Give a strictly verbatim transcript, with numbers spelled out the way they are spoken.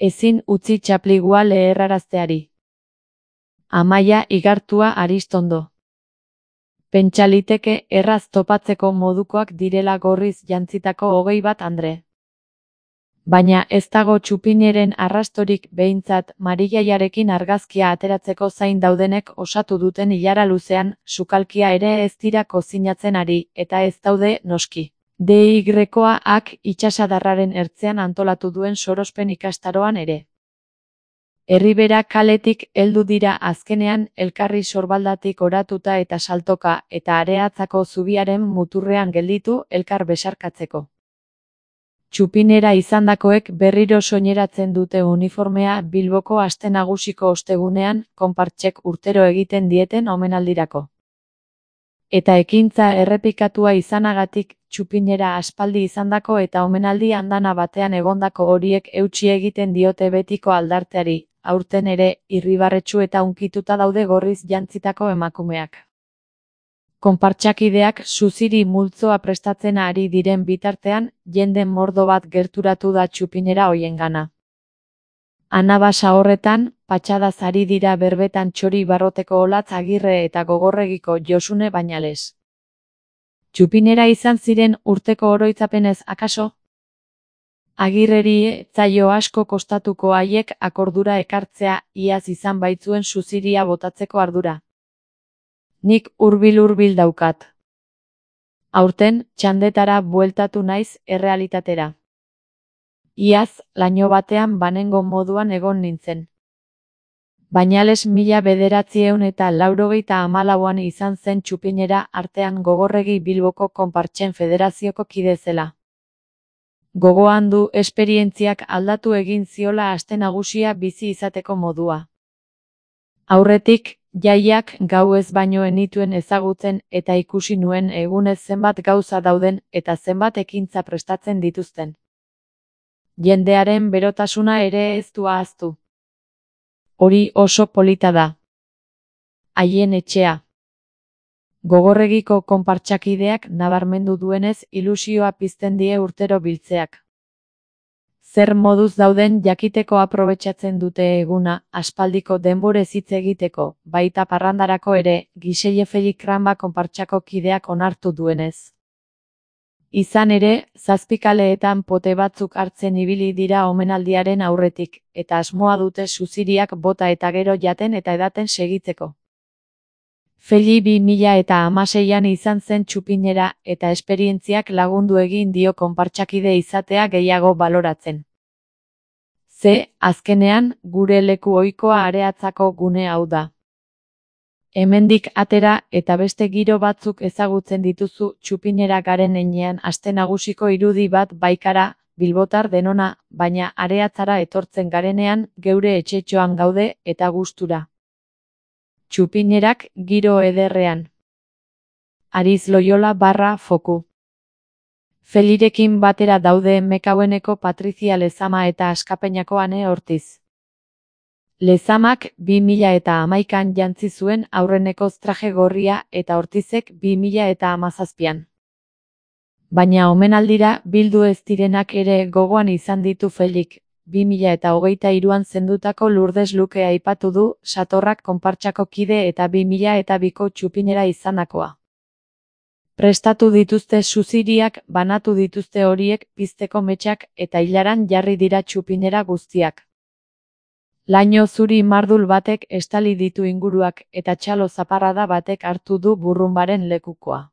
Ezin utzi txapligua leherrarazteari. Amaia igartua Aristondo. Pentsa liteke erraz topatzeko modukoak direla gorriz jantzitako hogei bat andre. Baina ez dago txupineren arrastorik behintzat Marijaiarekin argazkia ateratzeko zain daudenek osatu duten ilara luzean, sukalkia ere ez dira kozinatzen ari, eta ez daude, noski. D Y-ak itsasadarraren ertzean antolatu duen sorospen ikastaroan ere. Erribera kaletik heldu dira azkenean elkarri sorbaldatik oratuta eta saltoka, eta Areatzako zubiaren muturrean gelditu elkar besarkatzeko. Txupinera izandakoek berriro soineratzen dute uniformea Bilboko aste nagusiko ostegunean, konpartsek urtero egiten dieten omenaldirako. Eta ekintza errepikatua izanagatik, txupinera aspaldi izandako eta omenaldi andana batean egondako horiek eutsi egiten diote betiko aldarteari, aurten ere, irribarretsu eta hunkituta daude gorriz jantzitako emakumeak. Konpartsakideak suziri multzoa prestatzen ari diren bitartean, jende mordo bat gerturatu da txupinera hoiengana. Anabasa horretan, patxadaz ari dira berbetan Txori Barroteko Olatz Agirre eta Gogorregiko Josune Bañales. Txupinera izan ziren urteko oroitzapenez akaso? Agirreri etzaio asko kostatuko haiek akordura ekartzea iaz izan baitzuen suziria botatzeko ardura. Nik hurbil-hurbil daukat. Aurten, txandetara bueltatu naiz errealitatera. Iaz, laino batean banengo moduan egon nintzen. Bañales mila bederatzieun eta laurogeita hamalauan izan zen txupinera artean Gogorregi Bilboko konpartsen federazioko kide zela. Gogoan du esperientziak aldatu egin ziola aste nagusia bizi izateko modua. Aurretik, jaiak gau ez baino enituen ezagutzen eta ikusi nuen egunez zenbat gauza dauden eta zenbat ekintza prestatzen dituzten. Jendearen berotasuna ere ez du ahaztu. Hori oso polita da. Haien etxea. Gogorregiko konpartsakideak nabarmendu duenez ilusioa pizten die urtero biltzeak. Zer moduz dauden jakiteko aprobetxatzen dute eguna, aspaldiko denborez hitz egiteko, baita parrandarako ere, Giselle Felikranba konpartsako kideak onartu duenez. Izan ere, zazpikaleetan pote batzuk hartzen ibili dira omenaldiaren aurretik, eta asmoa dute suziriak bota eta gero jaten eta edaten segitzeko. Feli bi mila eta hamaseian izan zen txupinera eta esperientziak lagundu egin dio konpartsakide izatea gehiago baloratzen. Ze, azkenean, gure leku ohikoa Areatzako gune hau da. Hemendik atera eta beste giro batzuk ezagutzen dituzu txupinera garen heinean aste nagusiko irudi bat baikara, bilbotar denona, baina Areatzara etortzen garenean geure etxetxoan gaude eta gustura. Txupinerak giro ederrean. Ariz Loyola barra foku. Felirekin batera daude Mekaueneko Patrizia Lezama eta Askapeñako Ane Ortiz. Lezamak bi mila eta hamaikan jantzi zuen aurreneko traje gorria eta Ortizek bi mila eta hamazazpian. Baina omenaldira bildu ez direnak ere gogoan izan ditu Felik. bi mila eta hogeita hiruan zendutako Lourdes Luke aipatu du, Satorrak konpartsako kide eta bi mila eta biko txupinera izandakoa. Prestatu dituzte suziriak, banatu dituzte horiek pizteko metxak eta hilaran jarri dira txupinera guztiak. Laino zuri mardul batek estali ditu inguruak eta txalo zaparrada batek hartu du burrunbaren lekukoa.